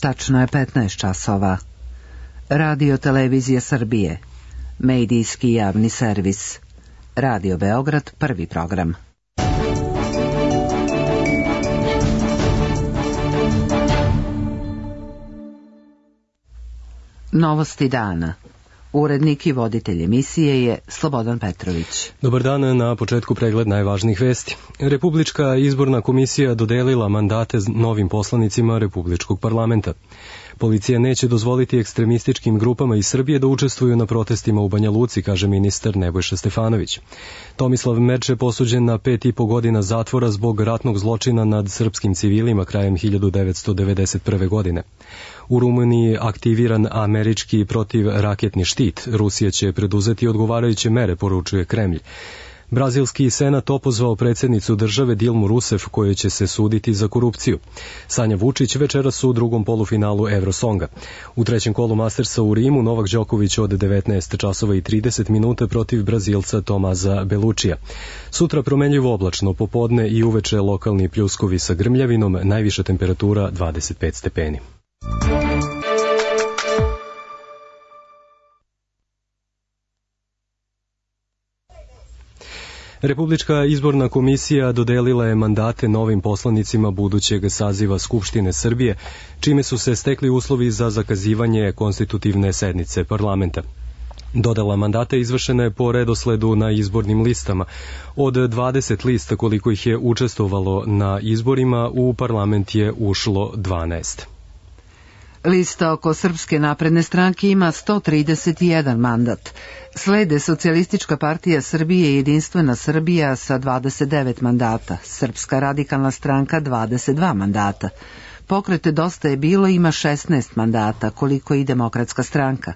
Tačno je 15 časova. Radio Televizija Srbije. Medijski javni servis. Radio Beograd, prvi program. Novosti dana. Urednik i voditelj emisije je Slobodan Petrović. Dobar dan, na početku pregled najvažnijih vesti. Republička izborna komisija dodelila mandate novim poslanicima Republičkog parlamenta. Policija neće dozvoliti ekstremističkim grupama iz Srbije da učestvuju na protestima u Banja Luci, kaže ministar Nebojša Stefanović. Tomislav Merče posuđen na 5,5 godina zatvora zbog ratnog zločina nad srpskim civilima krajem 1991. godine. U Rumuniji aktiviran američki protivraketni štit. Rusija će preduzeti odgovarajuće mere, poručuje Kremlj. Brazilski senat opozvao predsjednicu države Dilmu Rousseff, kojoj će se suditi za korupciju. Sanja Vučić večeras u drugom polufinalu Eurosonga. U trećem kolu Mastersa u Rimu Novak Đoković od 19 časova i 30 minuta protiv Brazilca Tomaza Belučija. Sutra promenljivo oblačno, popodne i uveče lokalni pljuskovi sa grmljavinom, najviša temperatura 25 stepeni. Republička izborna komisija dodelila je mandate novim poslanicima budućeg saziva Skupštine Srbije, čime su se stekli uslovi za zakazivanje konstitutivne sednice parlamenta. Dodela mandata izvršena je po redosledu na izbornim listama. Od 20 lista koliko ih je učestvovalo na izborima, u parlament je ušlo 12. Lista oko Srpske napredne stranke ima 131 mandat. Slede Socijalistička partija Srbije i Jedinstvena Srbija sa 29 mandata, Srpska radikalna stranka 22 mandata. Pokret Dosta je bilo ima 16 mandata, koliko i Demokratska stranka.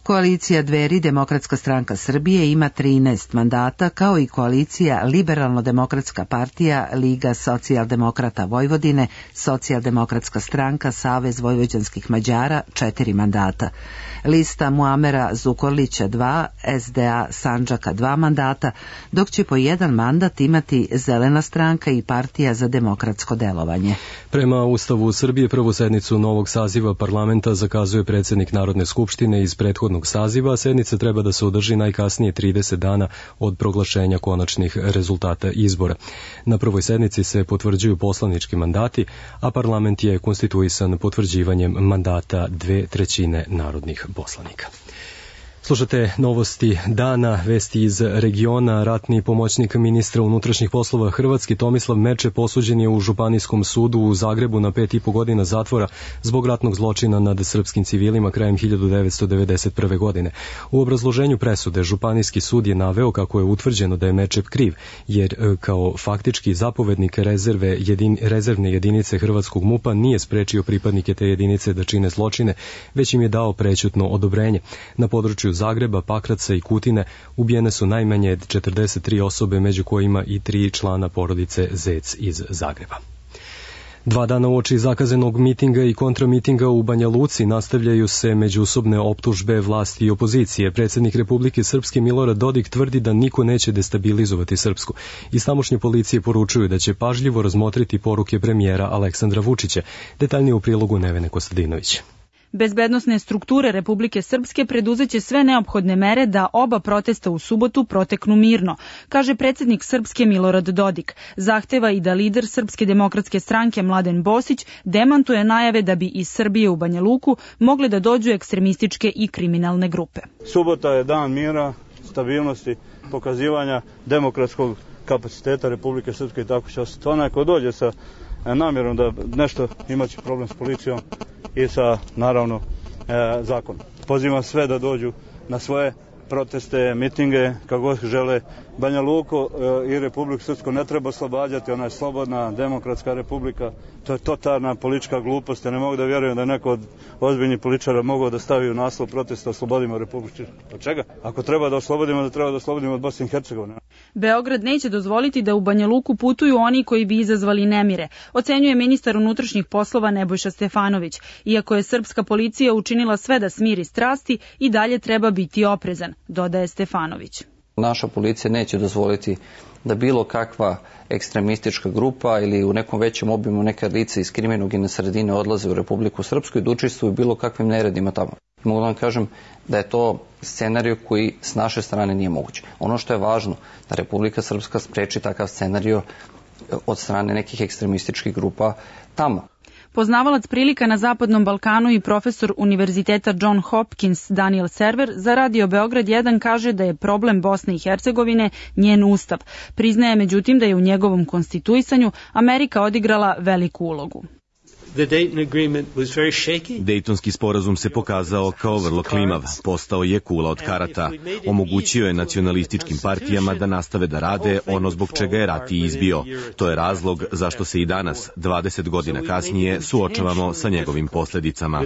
Koalicija Dveri Demokratska stranka Srbije ima 13 mandata, kao i koalicija Liberalno-demokratska partija Liga socijaldemokrata Vojvodine, Socijaldemokratska stranka Savez vojvođanskih Mađara 4 mandata. Lista Muamera Zukorlića 2, SDA Sandžaka 2 mandata, dok će po 1 mandat imati Zelena stranka i Partija za demokratsko delovanje. Prema Ustavu Srbije prvu sednicu novog saziva parlamenta zakazuje predsjednik Narodne skupštine iz prethodnog saziva. Sednica treba da se održi najkasnije 30 dana od proglašenja konačnih rezultata izbora. Na prvoj sednici se potvrđuju poslanički mandati, a parlament je konstituisan potvrđivanjem mandata 2/3 narodnih poslanika. Slušate novosti dana, vesti iz regiona. Ratni pomoćnik ministra unutrašnjih poslova Hrvatske Tomislav Merče posuđen je u Županijskom sudu u Zagrebu na 5,5 godina zatvora zbog ratnog zločina nad srpskim civilima krajem 1991. godine. U obrazloženju presude Županijski sud je naveo kako je utvrđeno da je Merče kriv, jer kao faktički zapovednik rezervne jedinice Hrvatskog MUP-a nije sprečio pripadnike te jedinice da čine zločine, već im je dao prećutno odobrenje. Na području Zagreba, Pakraca i Kutine ubijene su najmanje 43 osobe, među kojima i 3 člana porodice Zec iz Zagreba. 2 dana uoči zakazanog mitinga i kontramitinga u Banja Luci nastavljaju se međusobne optužbe vlasti i opozicije. Predsjednik Republike Srpske Milorad Dodik tvrdi da niko neće destabilizovati Srpsku. Iz tamošnje policije poručuju da će pažljivo razmotriti poruke premijera Aleksandra Vučića. Detaljnije u prilogu Nevene Kostadinović. Bezbednosne strukture Republike Srpske preduzeće sve neophodne mere da oba protesta u subotu proteknu mirno, kaže predsjednik Srpske Milorad Dodik. Zahteva i da lider Srpske demokratske stranke Mladen Bosić demantuje najave da bi iz Srbije u Banja Luku mogle da dođu ekstremističke i kriminalne grupe. Subota je dan mira, stabilnosti, pokazivanja demokratskog kapaciteta Republike Srpske i tako će ostati. Onaj ko dođe sa namjerom da nešto imaće problem s policijom i sa, naravno, zakonom. Pozivam sve da dođu na svoje proteste, mitinge, kako god žele. Banja Luku i Republiku Srpsku ne treba oslobađati, ona je slobodna, demokratska republika. To je totalna politička glupost. Ja ne mogu da vjerujem da je neko od ozbiljnih političara mogao da stavi u naslov protesta oslobodimo Republiku Srpsku. Od čega? Ako treba da oslobodimo, da treba da oslobodimo od Bosne i Hercegovine. Beograd neće dozvoliti da u Banja Luku putuju oni koji bi izazvali nemire, ocenjuje ministar unutrašnjih poslova Nebojša Stefanović. Iako je srpska policija učinila sve da smiri strasti, i dalje treba biti oprezan, dodaje Stefanović. Naša policija neće dozvoliti da bilo kakva ekstremistička grupa ili u nekom većem obimu neka lica iz kriminogene sredine odlaze u Republiku Srpsku i da učestvuju bilo kakvim neredima tamo. Mogu da vam kažem da je to scenario koji s naše strane nije moguće. Ono što je važno, da Republika Srpska spreči takav scenario od strane nekih ekstremističkih grupa tamo. Poznavalac prilika na Zapadnom Balkanu i profesor Univerziteta John Hopkins Daniel Server za Radio Beograd 1 kaže da je problem Bosne i Hercegovine njen ustav. Priznaje međutim da je u njegovom konstituisanju Amerika odigrala veliku ulogu. Dejtonski sporazum se pokazao kao vrlo klimav, postao je kula od karata, omogućio je nacionalističkim partijama da nastave da rade ono zbog čega je rat i izbio. To je razlog zašto se i danas, 20 godina kasnije, suočavamo sa njegovim posljedicama.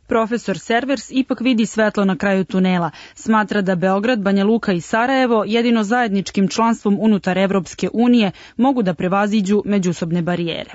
Profesor Servers ipak vidi svetlo na kraju tunela. Smatra da Beograd, Banja Luka i Sarajevo jedino zajedničkim članstvom unutar Evropske unije mogu da prevaziđu međusobne barijere.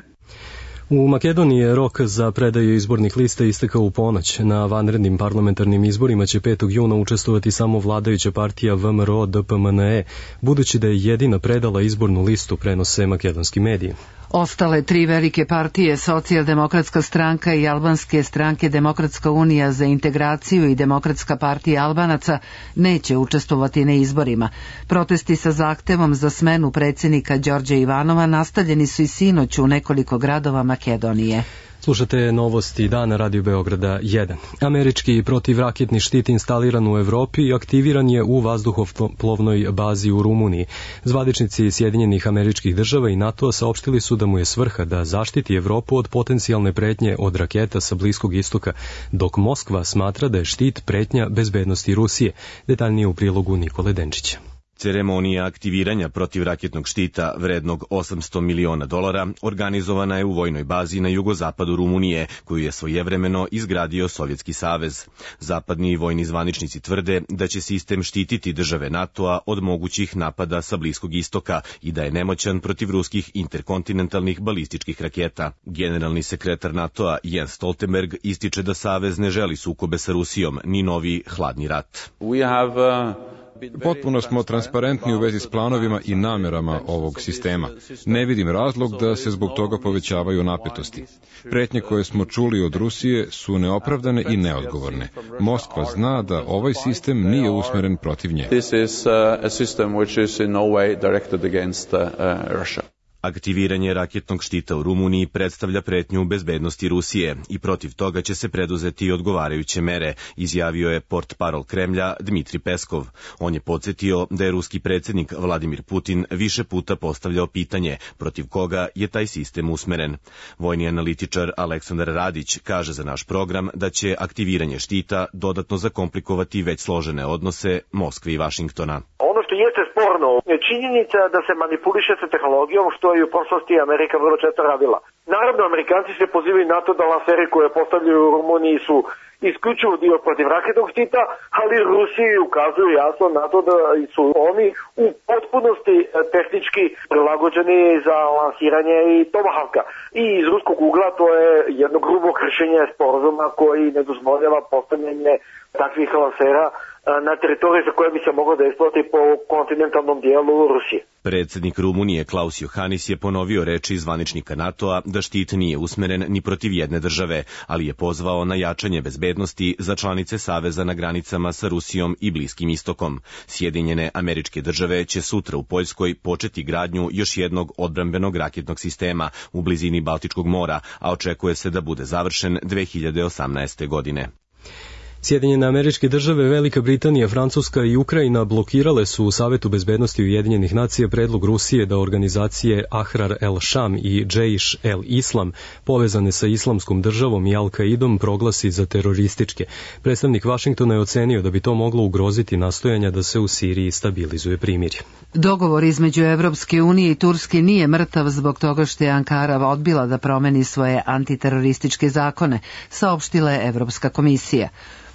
U Makedoniji je rok za predaju izbornih lista istekao u ponoć. Na vanrednim parlamentarnim izborima će 5. juna učestvovati samo vladajuća partija VMRO-DPMNE, budući da je jedina predala izbornu listu, prenose makedonski mediji. Ostale tri velike partije, Socijaldemokratska stranka i Albanske stranke Demokratska unija za integraciju i Demokratska partija Albanaca, neće učestvovati na izborima. Protesti sa zahtevom za smenu predsjednika Đorđa Ivanova nastavljeni su i sinoć u nekoliko gradova Makedonije. Slušate novosti dana Radio Beograda 1. Američki protivraketni štit instaliran u Evropi i aktiviran je u vazduhoplovnoj bazi u Rumuniji. Zvaničnici Sjedinjenih Američkih Država i NATO-a saopštili su da mu je svrha da zaštiti Evropu od potencijalne pretnje od raketa sa Bliskog istoka, dok Moskva smatra da je štit pretnja bezbednosti Rusije. Detaljnije u prilogu Nikole Denčića. Ceremonija aktiviranja protivraketnog štita vrednog $800 miliona organizovana je u vojnoj bazi na jugozapadu Rumunije, koju je svojevremeno izgradio Sovjetski savez. Zapadni vojni zvaničnici tvrde da će sistem štititi države NATO-a od mogućih napada sa Bliskog istoka i da je nemoćan protiv ruskih interkontinentalnih balističkih raketa. Generalni sekretar NATO-a Jens Stoltenberg ističe da savez ne želi sukobe sa Rusijom, ni novi hladni rat. Potpuno smo transparentni u vezi s planovima i namerama ovog sistema. Ne vidim razlog da se zbog toga povećavaju napetosti. Pretnje koje smo čuli od Rusije su neopravdane i neodgovorne. Moskva zna da ovaj sistem nije usmeren protiv nje. Aktiviranje raketnog štita u Rumuniji predstavlja pretnju bezbednosti Rusije i protiv toga će se preduzeti odgovarajuće mere, izjavio je portparol Kremlja Dmitri Peskov. On je podsjetio da je ruski predsjednik Vladimir Putin više puta postavljao pitanje protiv koga je taj sistem usmeren. Vojni analitičar Aleksandar Radić kaže za naš program da će aktiviranje štita dodatno zakomplikovati već složene odnose Moskve i Vašingtona. Ono što jeste sporno je činjenica da se manipuliše sa tehnologijom, što je u prošlosti Amerika vrlo često radila. Naravno, Amerikanci se pozivaju na to da lanseri koje postavljaju u Rumuniji su isključivo dio protivraketnog štita, ali Rusiji ukazuju jasno na to da su oni u potpunosti tehnički prilagođeni za lansiranje i Tomahawka. I iz ruskog ugla to je jedno grubo kršenje sporazuma koji ne dozvoljava postavljanje takvih lansera na teritoriji za koje bi se moglo desiti po kontinentalnom dijelu Rusije. Predsjednik Rumunije Klaus Johannis je ponovio reči zvaničnika NATO-a da štit nije usmeren ni protiv jedne države, ali je pozvao na jačanje bezbednosti za članice saveza na granicama sa Rusijom i Bliskim istokom. Sjedinjene Američke Države će sutra u Poljskoj početi gradnju još jednog odbrambenog raketnog sistema u blizini Baltičkog mora, a očekuje se da bude završen 2018. godine. Sjedinjene Američke Države, Velika Britanija, Francuska i Ukrajina blokirale su u Savetu bezbednosti Ujedinjenih nacija predlog Rusije da organizacije Ahrar el-Sham i Džejš el-Islam, povezane sa Islamskom državom i Al-Kaidom, proglasi za terorističke. Predstavnik Vašingtona je ocenio da bi to moglo ugroziti nastojanja da se u Siriji stabilizuje primirje. Dogovor između Evropske unije i Turske nije mrtav zbog toga što je Ankara odbila da promeni svoje antiterorističke zakone, saopštila je Evropska komisija.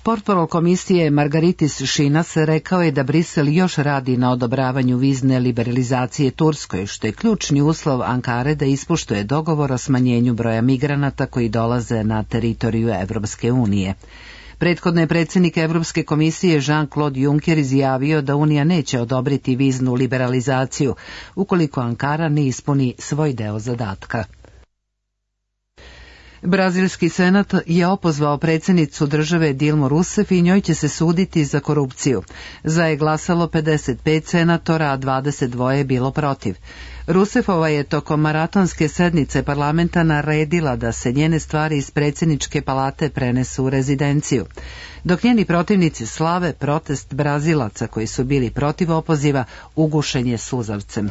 Portparol komisije Margaritis Šinas rekao je da Brisel još radi na odobravanju vizne liberalizacije Turskoj, što je ključni uslov Ankare da ispoštuje dogovor o smanjenju broja migranata koji dolaze na teritoriju Evropske unije. Prethodno je predsjednik Evropske komisije Jean-Claude Juncker izjavio da Unija neće odobriti viznu liberalizaciju ukoliko Ankara ne ispuni svoj deo zadatka. Brazilski senat je opozvao predsjednicu države Dilmu Rousseff i njoj će se suditi za korupciju. Za je glasalo 55 senatora, a 22 je bilo protiv. Rousseffova je tokom maratonske sednice parlamenta naredila da se njene stvari iz predsjedničke palate prenesu u rezidenciju. Dok njeni protivnici slave protest Brazilaca koji su bili protiv opoziva, ugušen je suzavcem.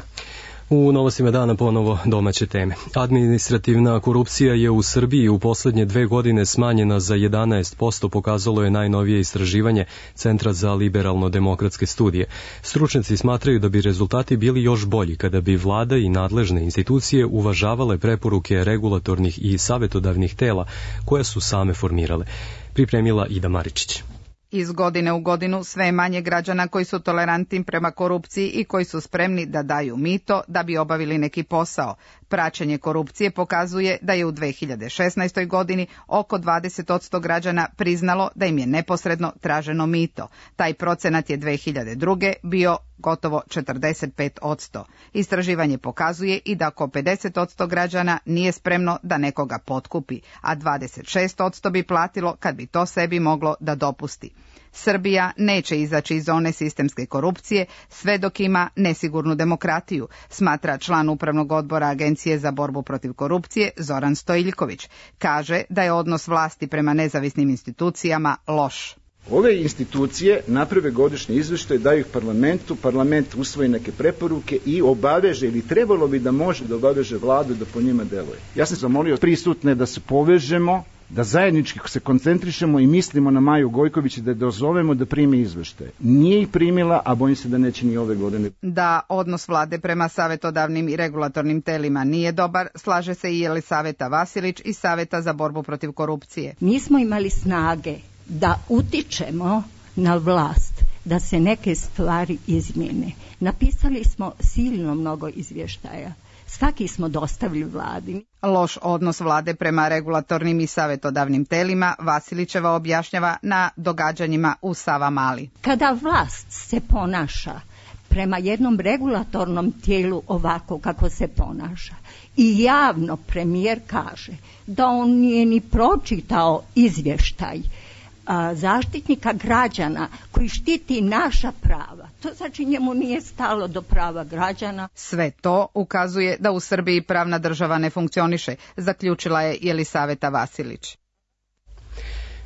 U novostima dana ponovo domaće teme. Administrativna korupcija je u Srbiji u posljednje 2 godine smanjena za 11%, pokazalo je najnovije istraživanje Centra za liberalno-demokratske studije. Stručnjaci smatraju da bi rezultati bili još bolji kada bi vlada i nadležne institucije uvažavale preporuke regulatornih i savjetodavnih tela koje su same formirale. Pripremila Ida Maričić. Iz godine u godinu sve je manje građana koji su tolerantni prema korupciji i koji su spremni da daju mito da bi obavili neki posao. Praćenje korupcije pokazuje da je u 2016. godini oko 20% građana priznalo da im je neposredno traženo mito. Taj procenat je 2002. bio gotovo 45%. Istraživanje pokazuje i da oko 50% građana nije spremno da nekoga potkupi, a 26% bi platilo kad bi to sebi moglo da dopusti. Srbija neće izaći iz zone sistemske korupcije sve dok ima nesigurnu demokratiju, smatra član upravnog odbora Agencije za borbu protiv korupcije Zoran Stojiljković. Kaže da je odnos vlasti prema nezavisnim institucijama loš. Ove institucije naprave godišnje izveštaje, daju ih parlamentu, parlament usvoji neke preporuke i obaveže, ili trebalo bi da može da obaveže vladu da po njima deluje. Ja sam zamolio prisutne da se povežemo, da zajednički se koncentrišemo i mislimo na Maju Gojković i da je dozovemo da primi izveštaje. Nije ih primila, a bojim se da neće ni ove godine. Da odnos vlade prema savjetodavnim i regulatornim telima nije dobar, slaže se i Jelisaveta Vasilić iz Saveta za borbu protiv korupcije. Nismo imali snage da utičemo na vlast, da se neke stvari izmjene. Napisali smo silno mnogo izvještaja. Svaki smo dostavili vladi. Loš odnos vlade prema regulatornim i savjetodavnim telima Vasilićeva objašnjava na događanjima u Savamali. Kada vlast se ponaša prema jednom regulatornom tijelu ovako kako se ponaša i javno premijer kaže da on nije ni pročitao izvještaj zaštitnika građana koji štiti naša prava. To znači njemu nije stalo do prava građana. Sve to ukazuje da u Srbiji pravna država ne funkcioniše, zaključila je Jelisaveta Vasilić.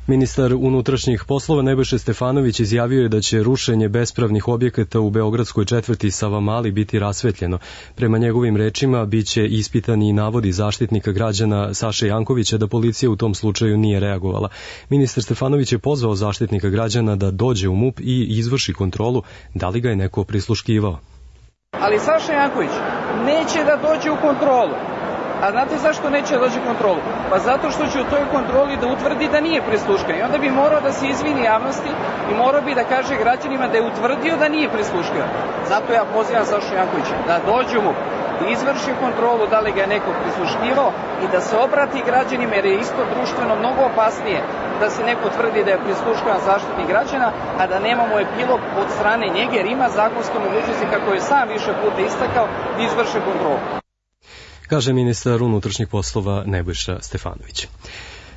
Ministar unutrašnjih poslova Nebojša Stefanović izjavio je da će rušenje bespravnih objekata u beogradskoj četvrti Savamali biti rasvetljeno. Prema njegovim rečima biće ispitani i navodi zaštitnika građana Saše Jankovića da policija u tom slučaju nije reagovala. Ministar Stefanović je pozvao zaštitnika građana da dođe u MUP i izvrši kontrolu da li ga je neko prisluškivao. Ali Saša Janković neće da dođe u kontrolu. A znate zašto neće da dođe kontrolu? Pa zato što će u toj kontroli da utvrdi da nije prisluškan. I onda bi morao da se izvini javnosti i morao bi da kaže građanima da je utvrdio da nije prisluškan. Zato ja pozivam Sašu Jankovića da dođe mu, da izvrši kontrolu da li ga je neko prisluškivao i da se obrati građanima, jer je isto društveno mnogo opasnije da se neko tvrdi da je prisluškan zaštitnik građana, a da nemamo epilog od strane njega, jer ima zakonske mogućnosti, kako je sam više puta istakao, da izvrše kontrolu. Kaže ministar unutrašnjih poslova Nebojša Stefanović.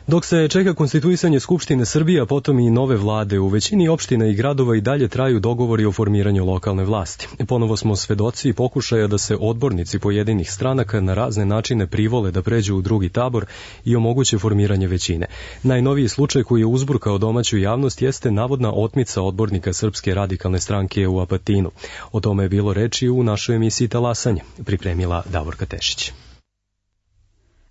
Dok se čeka konstituisanje Skupštine Srbije, a potom i nove vlade, u većini opština i gradova i dalje traju dogovori o formiranju lokalne vlasti. Ponovo smo svedoci pokušaja da se odbornici pojedinih stranaka na razne načine privole da pređu u drugi tabor i omoguće formiranje većine. Najnoviji slučaj koji je uzburkao domaću javnost jeste navodna otmica odbornika Srpske radikalne stranke u Apatinu. O tome je bilo reči u našoj emisiji Talasanje, pripremila Davorka Tešić.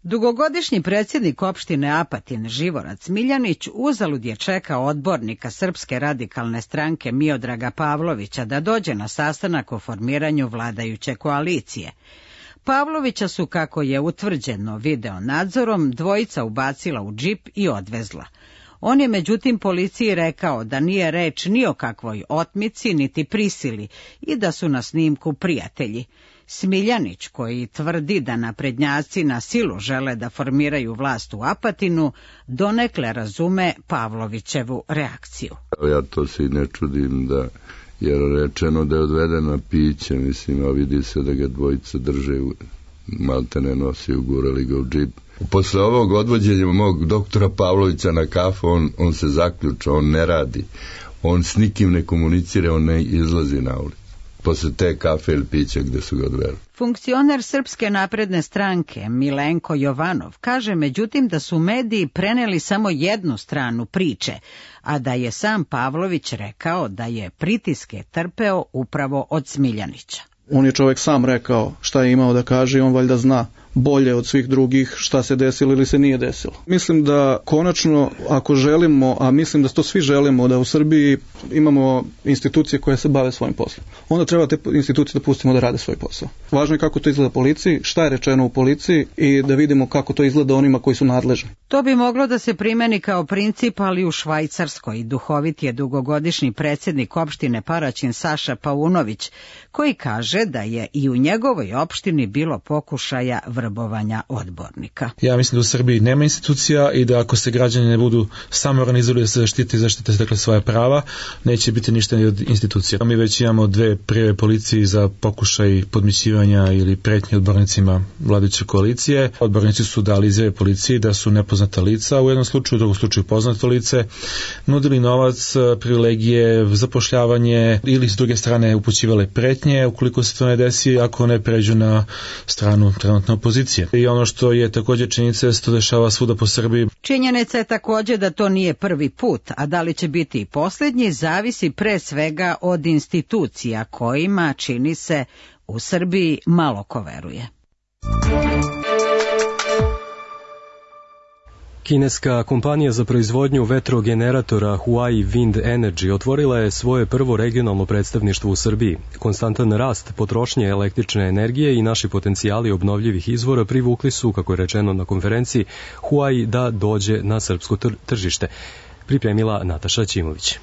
Dugogodišnji predsjednik opštine Apatin Živorac Miljanić uzalud je čekao odbornika Srpske radikalne stranke Miodraga Pavlovića da dođe na sastanak o formiranju vladajuće koalicije. Pavlovića su, kako je utvrđeno video nadzorom, dvojica ubacila u džip i odvezla. On je međutim policiji rekao da nije reč ni o kakvoj otmici niti prisili i da su na snimku prijatelji. Smiljanić, koji tvrdi da naprednjaci na silu žele da formiraju vlast u Apatinu, donekle razume Pavlovićevu reakciju. Ja to se i ne čudim da je rečeno da je odveden na piće, mislim, a vidi se da ga dvojica drže, maltene nosi, ugurali ga u džip. Posle ovog odvođenja mog doktora Pavlovića na kafu, on se zaključa, on ne radi, on s nikim ne komunicira, on ne izlazi na ulicu. Posle te kafe ili pića gde su ga odveli. Funkcioner Srpske napredne stranke Milenko Jovanov kaže međutim da su mediji preneli samo jednu stranu priče, a da je sam Pavlović rekao da je pritiske trpeo upravo od Smiljanića. On je čovjek sam rekao šta je imao da kaže i on valjda zna bolje od svih drugih šta se desilo ili se nije desilo. Mislim da konačno, ako želimo, a mislim da to svi želimo, da u Srbiji imamo institucije koje se bave svojim poslom, onda treba te institucije da pustimo da rade svoj posao. Važno je kako to izgleda policiji, šta je rečeno u policiji i da vidimo kako to izgleda onima koji su nadležni. To bi moglo da se primeni kao princip, ali u Švajcarskoj. Duhovit je dugogodišnji predsjednik opštine Paraćin Saša Paunović, koji kaže da je i u njegovoj opštini bilo pokušaja vrbovanja odbornika. Ja mislim da u Srbiji nema institucija i da ako se građani ne budu samo organizovali da se zaštite dakle svoja prava, neće biti ništa ni od institucija. Mi već imamo 2 prijave policiji za pokušaj podmićivanja ili pretnje odbornicima vladajuće koalicije. Odbornici su dali izjave policiji da su nepoznata lica, u jednom slučaju, u drugom slučaju poznato lice, nudili novac, privilegije, zapošljavanje ili s druge strane upućivale pretnje ukoliko se to ne desi, ako ne pređu na stranu trenutne opozicije. I ono što je također činjenica da se to dešava svuda po Srbiji. Činjenica je također da to nije prvi put, a da li će biti i posljednji zavisi pre svega od institucija kojima, čini se, u Srbiji malo ko veruje. Kineska kompanija za proizvodnju vetrogeneratora Huai Wind Energy otvorila je svoje prvo regionalno predstavništvo u Srbiji. Konstantan rast potrošnje električne energije i naši potencijali obnovljivih izvora privukli su, kako je rečeno na konferenciji, Huai da dođe na srpsko tržište. Pripremila Nataša Ćimović.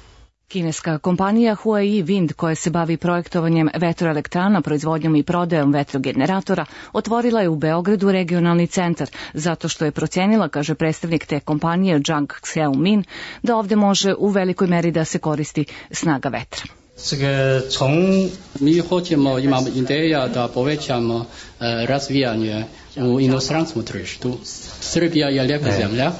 Kineska kompanija Huai Wind, koja se bavi projektovanjem vetroelektrana, proizvodnjom i prodajom vetrogeneratora, otvorila je u Beogradu regionalni centar, zato što je procenila, kaže predstavnik te kompanije Zhang Xiaomin, da ovde može u velikoj meri da se koristi snaga vetra. 从mi hoćemo, imamo ideja da povećamo razvijanje u inostranstvom tržištu. Srbija je lijepa zemlja,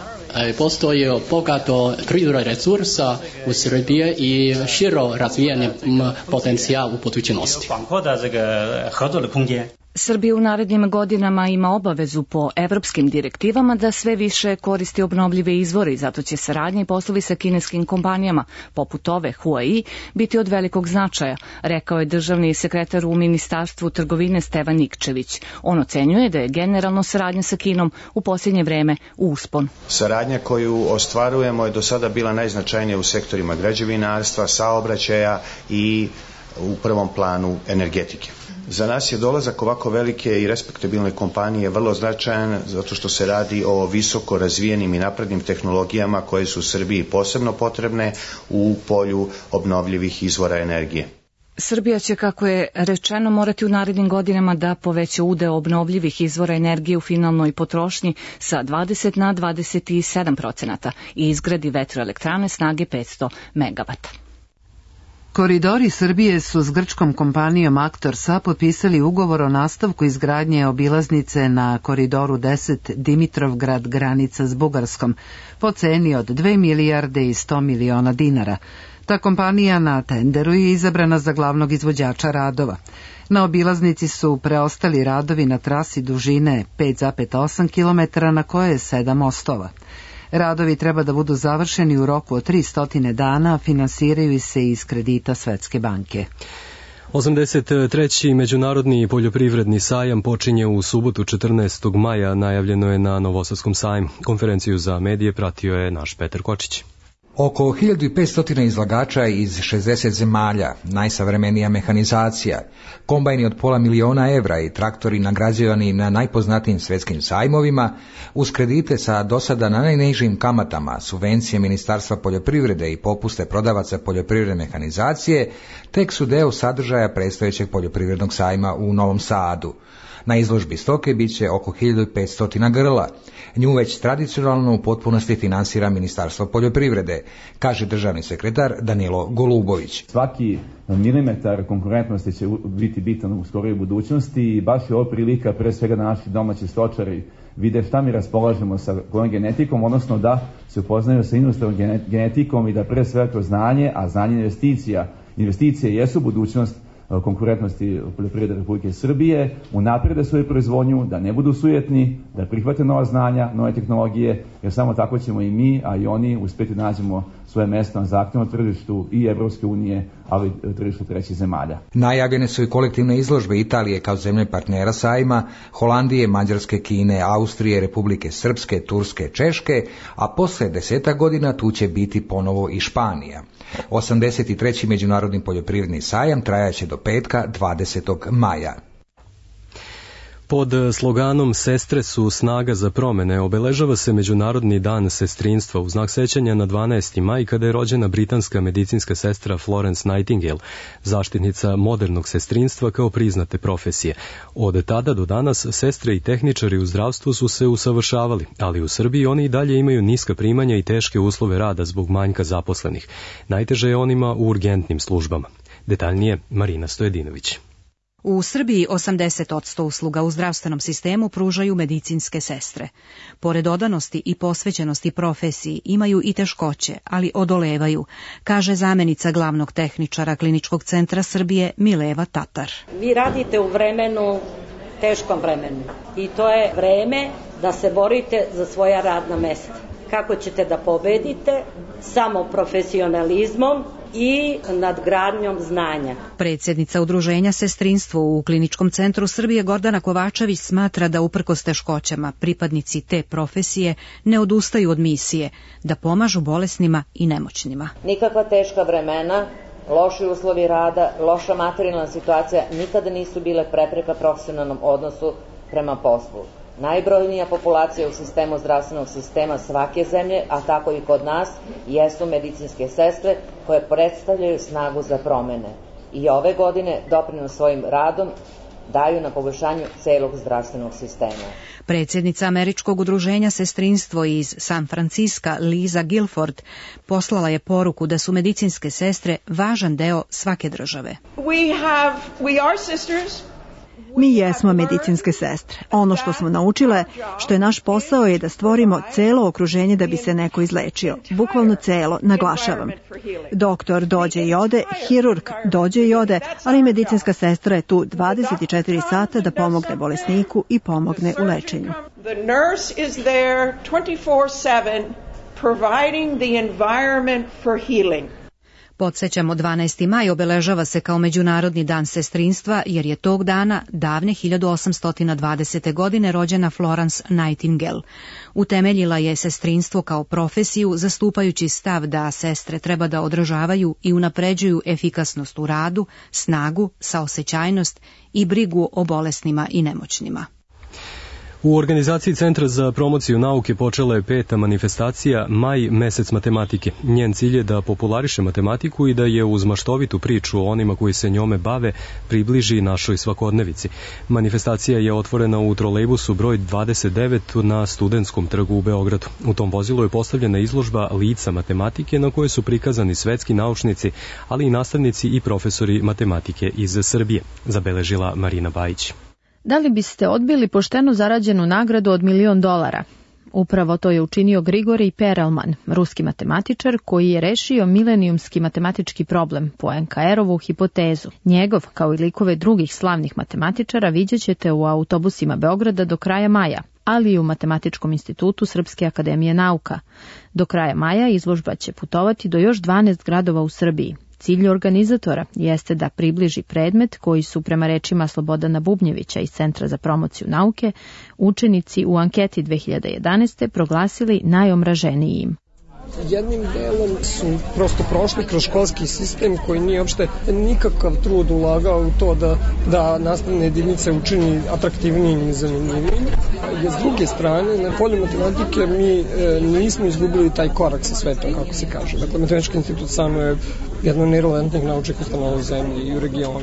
postoji bogato prirodnih resursa u Srbiji i širo razvijanje potencijal u budućnosti. Srbija u narednim godinama ima obavezu po evropskim direktivama da sve više koristi obnovljive izvore i zato će saradnje i poslovi sa kineskim kompanijama, poput ove Huai, biti od velikog značaja, rekao je državni sekretar u Ministarstvu trgovine Stevan Nikčević. On ocenjuje da je generalno saradnja sa Kinom u posljednje vreme u uspon. Saradnja koju ostvarujemo je do sada bila najznačajnija u sektorima građevinarstva, saobraćaja i u prvom planu energetike. Za nas je dolazak ovako velike i respektabilne kompanije vrlo značajan zato što se radi o visoko razvijenim i naprednim tehnologijama koje su u Srbiji posebno potrebne u polju obnovljivih izvora energije. Srbija će, kako je rečeno, morati u narednim godinama da poveća udeo obnovljivih izvora energije u finalnoj potrošnji sa 20 na 27% i izgradi vetroelektrane snage 500 MW. Koridori Srbije su s grčkom kompanijom Aktorsa potpisali ugovor o nastavku izgradnje obilaznice na koridoru 10 Dimitrovgrad granica s Bugarskom po ceni od 2 milijarde i 100 miliona dinara. Ta kompanija na tenderu je izabrana za glavnog izvođača radova. Na obilaznici su preostali radovi na trasi dužine 5,8 km na koje je 7 mostova. Radovi treba da budu završeni u roku od 300 dana, finansiraju se iz kredita Svetske banke. 83. Međunarodni poljoprivredni sajam počinje u subotu 14. maja, najavljeno je na Novosadskom sajmu. Konferenciju za medije pratio je naš Petar Kočić. Oko 1500 izlagača iz 60 zemalja, najsavremenija mehanizacija, kombajni od $500.000 i traktori nagrađivani na najpoznatijim svjetskim sajmovima, uz kredite sa dosada na najnižim kamatama, subvencije Ministarstva poljoprivrede i popuste prodavaca poljoprivredne mehanizacije, tek su deo sadržaja predstojećeg poljoprivrednog sajma u Novom Sadu. Na izložbi stoke bit će oko 1500 grla. Nju već tradicionalno u potpunosti finansira Ministarstvo poljoprivrede, kaže državni sekretar Danilo Golubović. Svaki milimetar konkurentnosti će biti bitan u skorijoj budućnosti i baš je ovo prilika pre svega da naši domaći stočari vide šta mi raspolažemo sa kojom genetikom, odnosno da se upoznaju sa inostranom genetikom i da pre svega kroz znanje, a znanje investicije jesu budućnost konkurentnosti poljoprivrede Republike Srbije, unaprede svoju proizvodnju, da ne budu sujetni, da prihvate nova znanja, nove tehnologije, jer samo tako ćemo i mi, a i oni uspjeti da nađemo svoje mesto na zahtjevnom tržištu i Evropske unije, ali i tržištu trećih zemalja. Najavljene su i kolektivne izložbe Italije kao zemlje partnera sajma, Holandije, Mađarske, Kine, Austrije, Republike Srpske, Turske, Češke, a posle 10 godina tu će biti ponovo i Španija. 83. Međunarodni poljoprivredni sajam trajaće do petka 20. maja. Pod sloganom Sestre su snaga za promene obeležava se Međunarodni dan sestrinstva u znak sećanja na 12. maj kada je rođena britanska medicinska sestra Florence Nightingale, zaštitnica modernog sestrinstva kao priznate profesije. Od tada do danas sestre i tehničari u zdravstvu su se usavršavali, ali u Srbiji oni i dalje imaju niska primanja i teške uslove rada zbog manjka zaposlenih. Najteže je onima u urgentnim službama. Detaljnije Marina Stojedinović. U Srbiji 80% usluga u zdravstvenom sistemu pružaju medicinske sestre. Pored odanosti i posvećenosti profesiji imaju i teškoće, ali odolevaju, kaže zamenica glavnog tehničara Kliničkog centra Srbije Mileva Tatar. Vi radite u vremenu, teškom vremenu, i to je vreme da se borite za svoja radna mesta. Kako ćete da pobedite? Samo profesionalizmom i nadgradnjom znanja. Predsjednica Udruženja Sestrinstvo u Kliničkom centru Srbije Gordana Kovačević smatra da uprkos teškoćama pripadnici te profesije ne odustaju od misije, da pomažu bolesnima i nemoćnima. Nikakva teška vremena, loši uslovi rada, loša materijalna situacija nikada nisu bile prepreka profesionalnom odnosu prema poslu. Najbrojnija populacija u sistemu zdravstvenog sistema svake zemlje, a tako i kod nas, jesu medicinske sestre koje predstavljaju snagu za promene. I ove godine doprinos svojim radom daju na poboljšanju celog zdravstvenog sistema. Predsjednica Američkog udruženja Sestrinstvo iz San Franciska, Liza Guilford, poslala je poruku da su medicinske sestre važan deo svake države. We are sisters. Mi jesmo medicinske sestre. Ono što smo naučile, što je naš posao, je da stvorimo celo okruženje da bi se neko izlečio. Bukvalno celo, naglašavam. Doktor dođe i ode, hirurg dođe i ode, ali medicinska sestra je tu 24 sata da pomogne bolesniku i pomogne u lečenju. The nurse is there 24/7 providing the environment for healing. Podsjećamo, 12. maj obeležava se kao Međunarodni dan sestrinstva jer je tog dana davne 1820. godine rođena Florence Nightingale. Utemeljila je sestrinstvo kao profesiju zastupajući stav da sestre treba da održavaju i unapređuju efikasnost u radu, snagu, saosećajnost i brigu o bolesnima i nemoćnima. U organizaciji Centra za promociju nauke počela je 5. manifestacija Maj, mesec matematike. Njen cilj je da populariše matematiku i da je uz maštovitu priču o onima koji se njome bave približi našoj svakodnevici. Manifestacija je otvorena u trolejbusu broj 29 na Studentskom trgu u Beogradu. U tom vozilu je postavljena izložba lica matematike na kojoj su prikazani svetski naučnici, ali i nastavnici i profesori matematike iz Srbije, zabeležila Marina Bajić. Da li biste odbili poštenu zarađenu nagradu od $1.000.000? Upravo to je učinio Grigorij Perelman, ruski matematičar koji je rešio milenijumski matematički problem, Poincareovu hipotezu. Njegov, kao i likove drugih slavnih matematičara, vidjet ćete u autobusima Beograda do kraja maja, ali i u Matematičkom institutu Srpske akademije nauka. Do kraja maja izložba će putovati do još 12 gradova u Srbiji. Cilj organizatora jeste da približi predmet koji su, prema rečima Slobodana Bubnjevića iz Centra za promociju nauke, učenici u anketi 2011. proglasili najomraženijim. Jednim delom su prosto prošli kroz školski sistem koji nije uopšte nikakav trud ulagao u to da nastavne jedinice učini atraktivnijim i zanimljivim. Jer s druge strane, na polju matematike mi nismo izgubili taj korak sa svetom, kako se kaže. Dakle, Matematički institut samo je jedna od najrelevantnijih naučnih ustanova u zemlji i u regionu.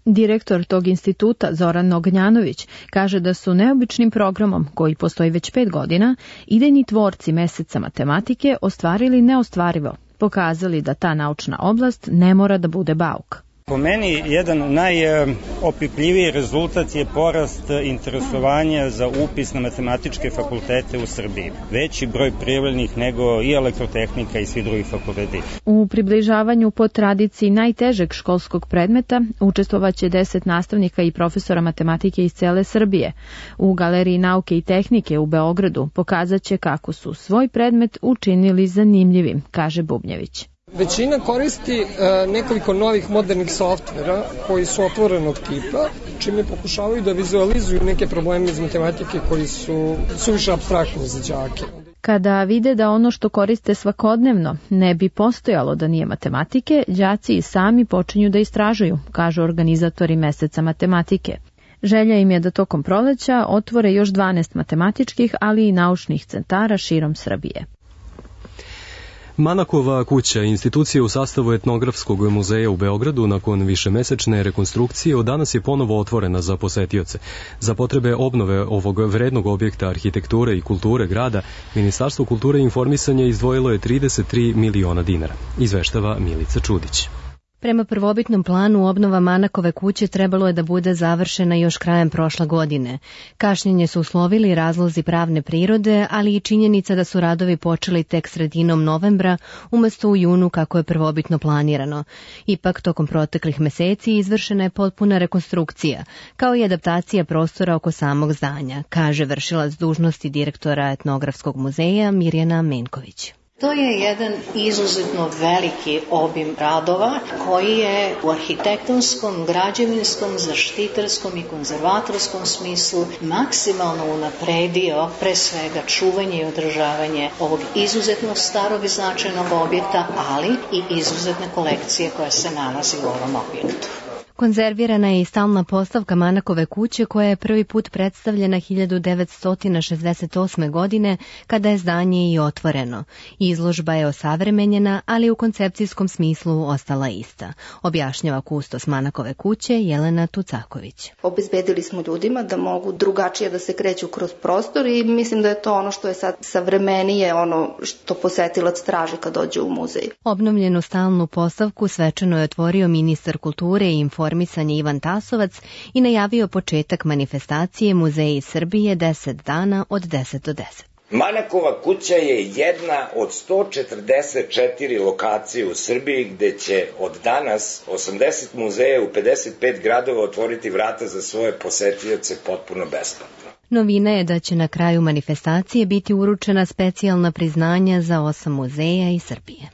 Direktor tog instituta, Zoran Ognjanović, kaže da su neobičnim programom, koji postoji već 5 godina, idejni tvorci Meseca matematike ostvarili neostvarivo, pokazali da ta naučna oblast ne mora da bude bauk. Po meni, jedan najopipljiviji rezultat je porast interesovanja za upis na matematičke fakultete u Srbiji. Veći broj prijavljenih nego i elektrotehnika i svi drugi fakulteti. U približavanju po tradiciji najtežeg školskog predmeta učestvovaće 10 nastavnika i profesora matematike iz cele Srbije. U Galeriji nauke i tehnike u Beogradu pokazat će kako su svoj predmet učinili zanimljivim, kaže Bubnjević. Većina koristi nekoliko novih modernih softvera koji su otvorenog tipa, čime pokušavaju da vizualizuju neke probleme iz matematike koji su suviše apstraktni za đake. Kada vide da ono što koriste svakodnevno ne bi postojalo da nije matematike, đaci i sami počinju da istražuju, kažu organizatori Meseca matematike. Želja im je da tokom proleća otvore još 12 matematičkih, ali i naučnih centara širom Srbije. Manakova kuća, institucija u sastavu Etnografskog muzeja u Beogradu, nakon višemesečne rekonstrukcije, od danas je ponovo otvorena za posetioce. Za potrebe obnove ovog vrednog objekta arhitekture i kulture grada, Ministarstvo kulture i informisanja izdvojilo je 33 miliona dinara, izveštava Milica Čudić. Prema prvobitnom planu, obnova Manakove kuće trebalo je da bude završena još krajem prošle godine. Kašnjenje su uslovili razlozi pravne prirode, ali i činjenica da su radovi počeli tek sredinom novembra, umesto u junu kako je prvobitno planirano. Ipak, tokom proteklih meseci izvršena je potpuna rekonstrukcija, kao i adaptacija prostora oko samog zdanja, kaže vršilac dužnosti direktora Etnografskog muzeja Mirjana Menković. To je jedan izuzetno veliki obim radova koji je u arhitektonskom, građevinskom, zaštitarskom i konzervatorskom smislu maksimalno unapredio pre svega čuvanje i održavanje ovog izuzetno starog i značajnog objekta, ali i izuzetne kolekcije koja se nalazi u ovom objektu. Konzervirana je i stalna postavka Manakove kuće koja je prvi put predstavljena 1968. godine kada je zdanje i otvoreno. Izložba je osavremenjena, ali u koncepcijskom smislu ostala ista, objašnjava kustos Manakove kuće Jelena Tucaković. Obezbedili smo ljudima da mogu drugačije da se kreću kroz prostor i mislim da je to ono što je sad savremenije, ono što posetilac traži kad dođe u muzej. Obnovljenu stalnu postavku svečano je otvorio ministar kulture i informisanja Ivan Tasovac i najavio početak manifestacije Muzeji Srbije 10 dana od 10 do 10. Manakova kuća je jedna od 144 lokacije u Srbiji gde će od danas 80 muzeja u 55 gradova otvoriti vrata za svoje posetioce potpuno besplatno. Novina je da će na kraju manifestacije biti uručena specijalna priznanja za 8 muzeja iz Srbije.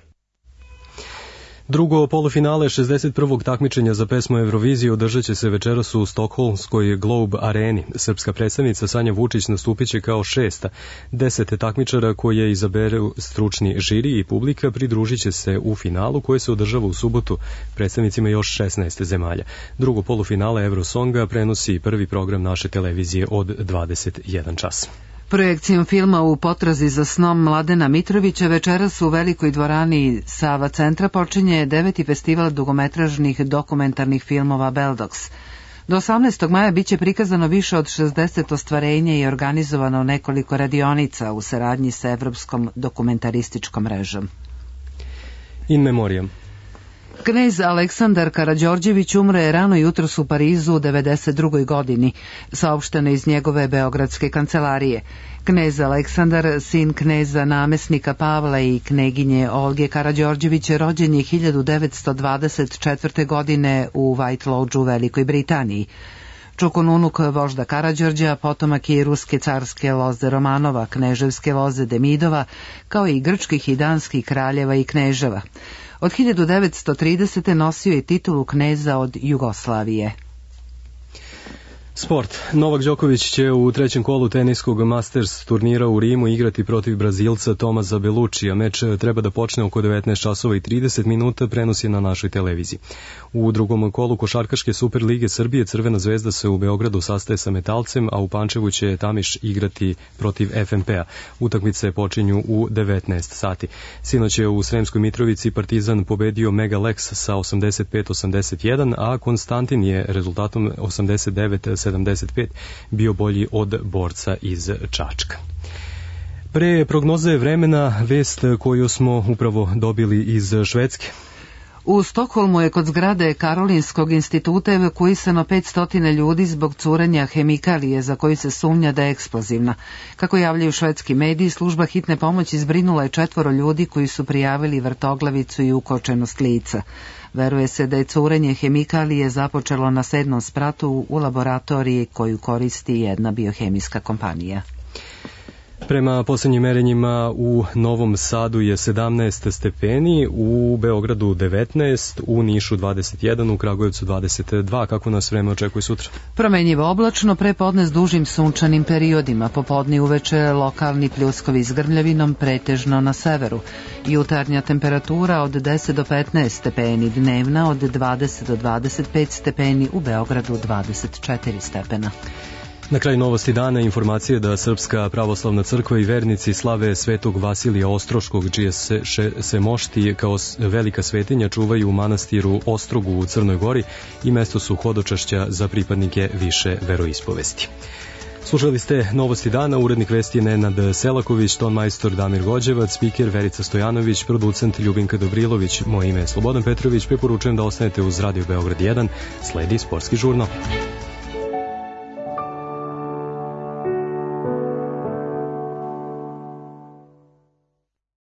Drugo polufinale 61. takmičenja za pesmu Eurovizije održat će se večeras u Stokholmskoj Globe areni. Srpska predstavnica Sanja Vučić nastupit će kao 6. 10 takmičara koje izaberu stručni žiri i publika pridružit će se u finalu koje se održava u subotu predstavnicima još 16 zemalja. Drugo polufinale Eurosonga prenosi prvi program naše televizije od 21 čas. Projekcijom filma U potrazi za snom Mladena Mitrovića večeras u velikoj dvorani Sava centra počinje 9. festival dugometražnih dokumentarnih filmova Beldox. Do 18. maja biće prikazano više od 60 ostvarenja i organizovano nekoliko radionica u saradnji sa Evropskom dokumentarističkom mrežom. In memoriam. Knez Aleksandar Karađorđević umro je rano jutros u Parizu u 92. godini, saopšteno iz njegove beogradske kancelarije. Knez Aleksandar, sin kneza namesnika Pavla i kneginje Olge Karađorđević, rođen je 1924. godine u White Lodge u Velikoj Britaniji. Čukonunuk vožda Karađorđa, potomak je i ruske carske loze Romanova, kneževske loze Demidova, kao i grčkih i danskih kraljeva i kneževa. Od 1930. nosio je titulu kneza od Jugoslavije. Sport. Novak Đoković će u trećem kolu teniskog Masters turnira u Rimu igrati protiv Brazilca Tomasa Belluccija. Meč treba da počne oko 19 časova i 30 minuta, prenos je na našoj televiziji. U drugom kolu Košarkaške Super lige Srbije Crvena zvezda se u Beogradu sastaje sa Metalcem, a u Pančevu će Tamiš igrati protiv FNP-a. Utakmice počinju u 19 sati. Sinoć je u Sremskoj Mitrovici Partizan pobedio Mega Lex sa 85-81, a Konstantin je rezultatom 89-75 bio bolji od Borca iz Čačka. Pre prognoze vremena vest koju smo upravo dobili iz Švedske. U Stokholmu je kod zgrade Karolinskog instituta evakuisano 500 ljudi zbog curenja hemikalije za koju se sumnja da je eksplozivna. Kako javljaju švedski mediji, služba hitne pomoći zbrinula je 4 ljudi koji su prijavili vrtoglavicu i ukočenost lica. Veruje se da je curenje hemikalije započelo na 7. spratu u laboratoriji koju koristi jedna biohemijska kompanija. Prema posljednjim merenjima u Novom Sadu je 17 stepeni, u Beogradu 19, u Nišu 21, u Kragujevcu 22. Kako nas vreme očekuje sutra? Promenjivo oblačno, prepodne s dužim sunčanim periodima, popodne uveče lokalni pljuskovi s grmljavinom pretežno na severu. Jutarnja temperatura od 10 do 15 stepeni, dnevna od 20 do 25 stepeni, u Beogradu 24 stepena. Na kraju novosti dana informacije da Srpska pravoslavna crkva i vernici slave Svetog Vasilija Ostroškog, čije se mošti kao velika svetinja čuvaju u manastiru Ostrogu u Crnoj Gori i mesto su hodočašća za pripadnike više veroispovesti. Slušali ste novosti dana, urednik vesti je Nenad Selaković, tonmajstor Damir Gođevac, spiker Verica Stojanović, producent Ljubinka Dobrilović, moje ime je Slobodan Petrović, preporučujem da ostanete uz Radio Beograd 1, sledi sportski žurnal.